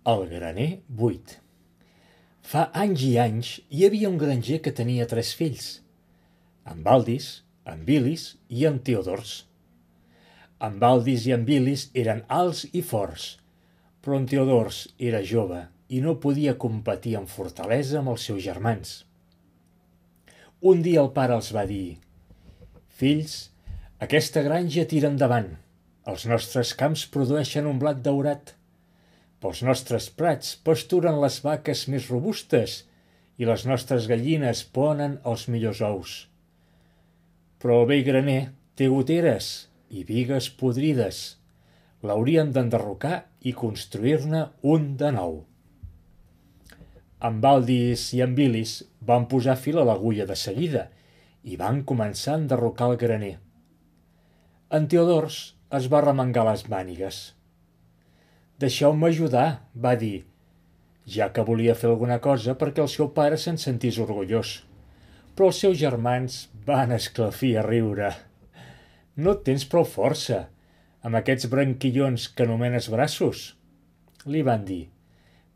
El graner buit. Fa anys i anys hi havia un granger que tenia 3 fills, en Valdis, en Bilis i en Teodors. En Valdis i en Bilis eren alts i forts, però en Teodors era jove i no podia competir en fortalesa amb els seus germans. Un dia el pare els va dir: «Fills, aquesta granja tira endavant. Els nostres camps produeixen un blat daurat. Pels nostres prats pasturen les vaques més robustes i les nostres gallines ponen els millors ous. Però el vell graner té goteres i bigues podrides. L'hauríem d'enderrocar i construir-ne un de nou». En Valdis i en Bilis van posar fil a l'agulla de seguida i van començar a enderrocar el graner. En Teodors es va remengar les mànigues. «Deixeu-me ajudar», va dir, ja que volia fer alguna cosa perquè el seu pare se'n sentís orgullós. Però els seus germans van esclafir a riure. «No tens prou força, amb aquests branquillons que anomenes braços», li van dir.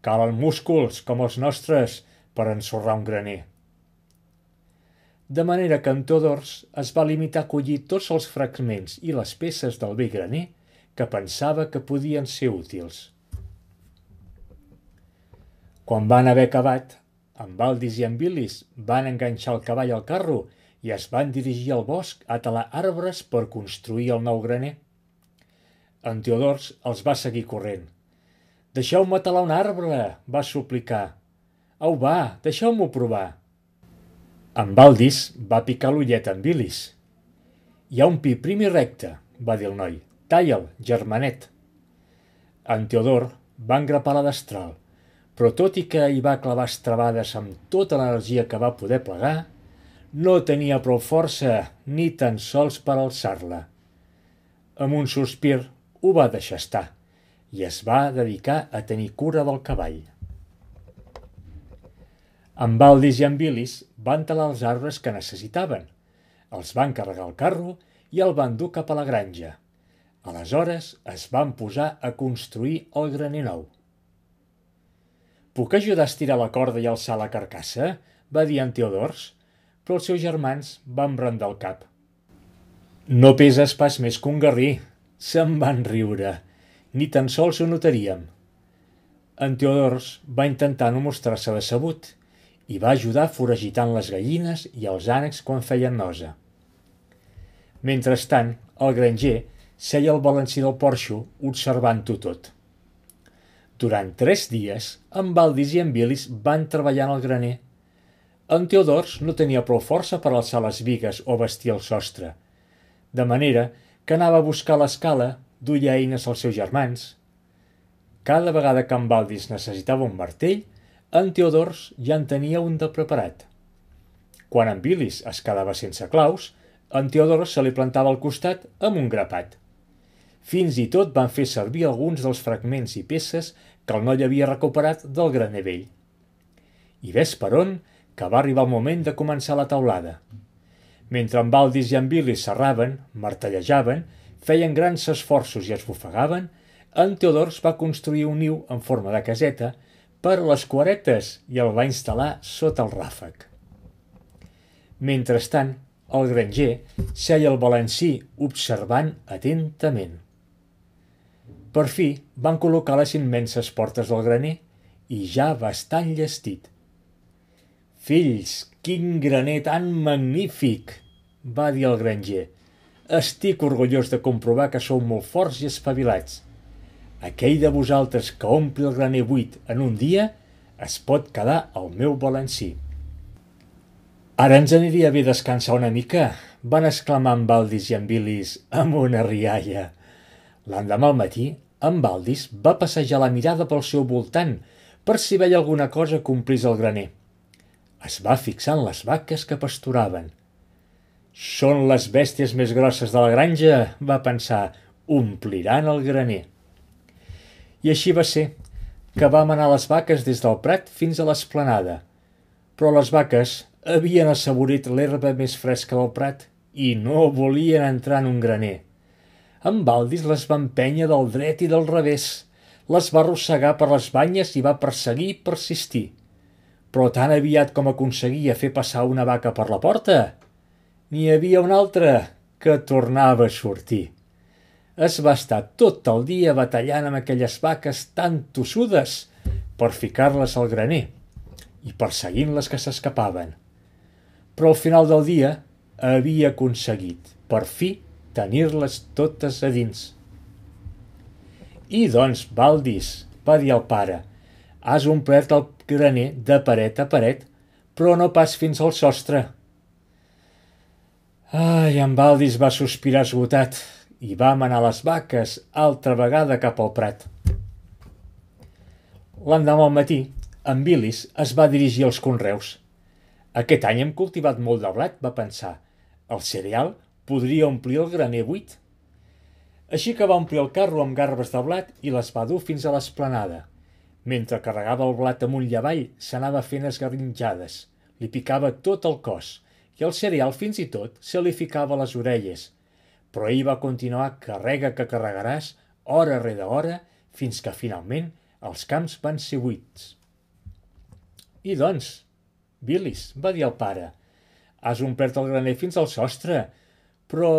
«Calen músculs com els nostres per ensorrar un graner». De manera que en Teodors es va limitar a collir tots els fragments i les peces del vell graner que pensava que podien ser útils. Quan van haver acabat, en Valdis i en Bilis van enganxar el cavall al carro i es van dirigir al bosc a talar arbres per construir el nou graner. En Teodors els va seguir corrent. «Deixeu-me talar un arbre», va suplicar. «Au, va, deixeu-m'ho provar». En Valdis va picar l'ullet en Bilis. «Hi ha un pi prim i recte», va dir el noi. «Talla'l, germanet». En Teodor va engrapar la destral, però tot i que hi va clavar estrebades amb tota l'energia que va poder plegar, no tenia prou força ni tan sols per alçar-la. Amb un sospir ho va deixar estar i es va dedicar a tenir cura del cavall. En Valdis i en Bilis van talar els arbres que necessitaven, els van carregar al carro i el van dur cap a la granja. Aleshores es van posar a construir el graner nou. «Puc ajudar a estirar la corda i alçar la carcassa?», va dir en Teodors, però els seus germans van brandar el cap. «No peses pas més que un garrí», se'n van riure. «Ni tan sols ho notaríem». En Teodors va intentar no mostrar-se decebut i va ajudar foragitant les gallines i els ànecs quan feien nosa. Mentrestant, el granger seia al balancí del porxo observant-ho tot. Durant 3 dies, en Valdis i en Bilis van treballar en el graner. En Teodors no tenia prou força per alçar les bigues o vestir el sostre, de manera que anava a buscar l'escala, duia eines als seus germans. Cada vegada que en Valdis necessitava un martell, en Teodors ja en tenia un de preparat. Quan en Bilis es quedava sense claus, en Teodors se li plantava al costat amb un grapat. Fins i tot van fer servir alguns dels fragments i peces que el noi havia recuperat del graner vell. I ves per on que va arribar el moment de començar la teulada. Mentre en Valdis i en Bilis serraven, martellejaven, feien grans esforços i es bofegaven, en Teodors va construir un niu en forma de caseta per a les cuaretes i el va instal·lar sota el ràfec. Mentrestant, el granger seia al balancí observant atentament. Per fi van col·locar les immenses portes del graner i ja bastant llestit. «Fills, quin graner tan magnífic!», va dir el granger. «Estic orgullós de comprovar que sou molt forts i espavilats. Aquell de vosaltres que ompli el graner buit en un dia es pot quedar al meu balancí». «Ara ens aniria bé descansar una mica», van exclamar en Valdis i en Bilis amb una rialla. L'endemà al matí, en Valdis va passejar la mirada pel seu voltant per si veia alguna cosa que omplís el graner. Es va fixar en les vaques que pasturaven. «Són les bèsties més grosses de la granja», va pensar, «ompliran el graner». I així va ser, que vam anar les vaques des del prat fins a l'esplanada. Però les vaques havien assaborit l'herba més fresca del prat i no volien entrar en un graner. En Valdis les va empènyer del dret i del revés. les va arrossegar per les banyes i va perseguir i persistir. Però tan aviat com aconseguia fer passar una vaca per la porta, n'hi havia una altra que tornava a sortir. Es va estar tot el dia batallant amb aquelles vaques tan tossudes per ficar-les al graner i perseguint les que s'escapaven. Però al final del dia havia aconseguit, per fi, tenir-les totes a dins. I doncs, Baldis, va dir el pare, has omplert el graner de paret a paret, però no pas fins al sostre. Ai, en Baldis va sospirar esgotat i va manar les vaques altra vegada cap al prat. L'endemà al matí, en Bilis es va dirigir als conreus. Aquest any hem cultivat molt de blat, va pensar. El cereal podria omplir el graner buit. Així que va omplir el carro amb garbes de blat i les va dur fins a l'esplanada. Mentre carregava el blat amunt i avall, s'anava fent esgarrinjades. Li picava tot el cos i el cereal fins i tot se li ficava a les orelles. Però ell va continuar carrega que carregaràs, hora rere hora, fins que finalment els camps van ser buits. I doncs, Bilis, va dir el pare, has omplert el graner fins al sostre, però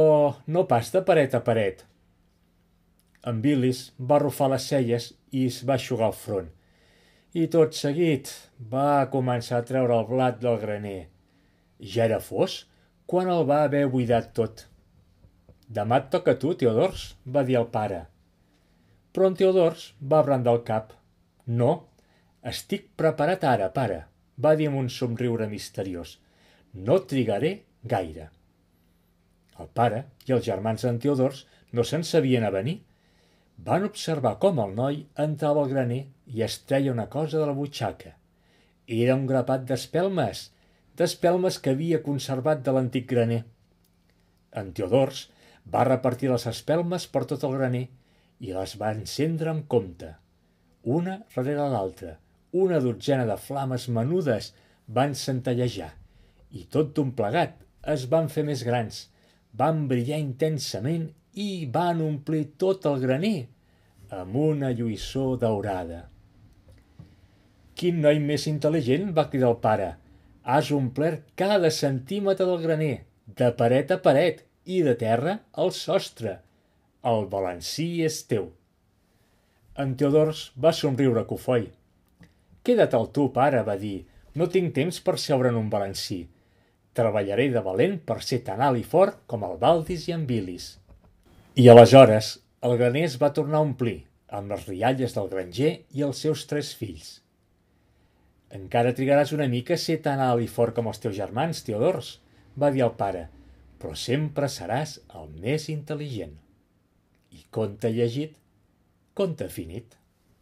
no pas de paret a paret. En Bilis va arrufar les celles i es va eixugar el front. I tot seguit va començar a treure el blat del graner. Ja era fos quan el va haver buidat tot. Demà et toca a tu, Teodors, va dir el pare. Però en Teodors va brandar el cap. No, estic preparat ara, pare, va dir amb un somriure misteriós. No trigaré gaire. El pare i els germans d'en Teodors no se'n sabien avenir. Van observar com el noi entrava al graner i es treia una cosa de la butxaca. Era un grapat d'espelmes que havia conservat de l'antic graner. En Teodors va repartir les espelmes per tot el graner i les va encendre amb compte. Una darrere l'altra, una dotzena de flames menudes van centellejar i tot d'un plegat es van fer més grans, van brillar intensament i van omplir tot el graner amb una lluïssor daurada. Quin noi més intel·ligent, va cridar el pare. Has omplert cada centímetre del graner, de paret a paret i de terra al sostre. El balancí és teu. En Teodors va somriure cofoi. Queda't al tu, pare, va dir. No tinc temps per seure en un balancí. Treballaré de valent per ser tan alt i fort com el Baldis i en Bilis. I aleshores el graner es va tornar a omplir, amb les rialles del granger i els seus 3 fills. Encara trigaràs una mica a ser tan alt i fort com els teus germans, Teodors, va dir el pare, però sempre seràs el més intel·ligent. I conte llegit, conte finit.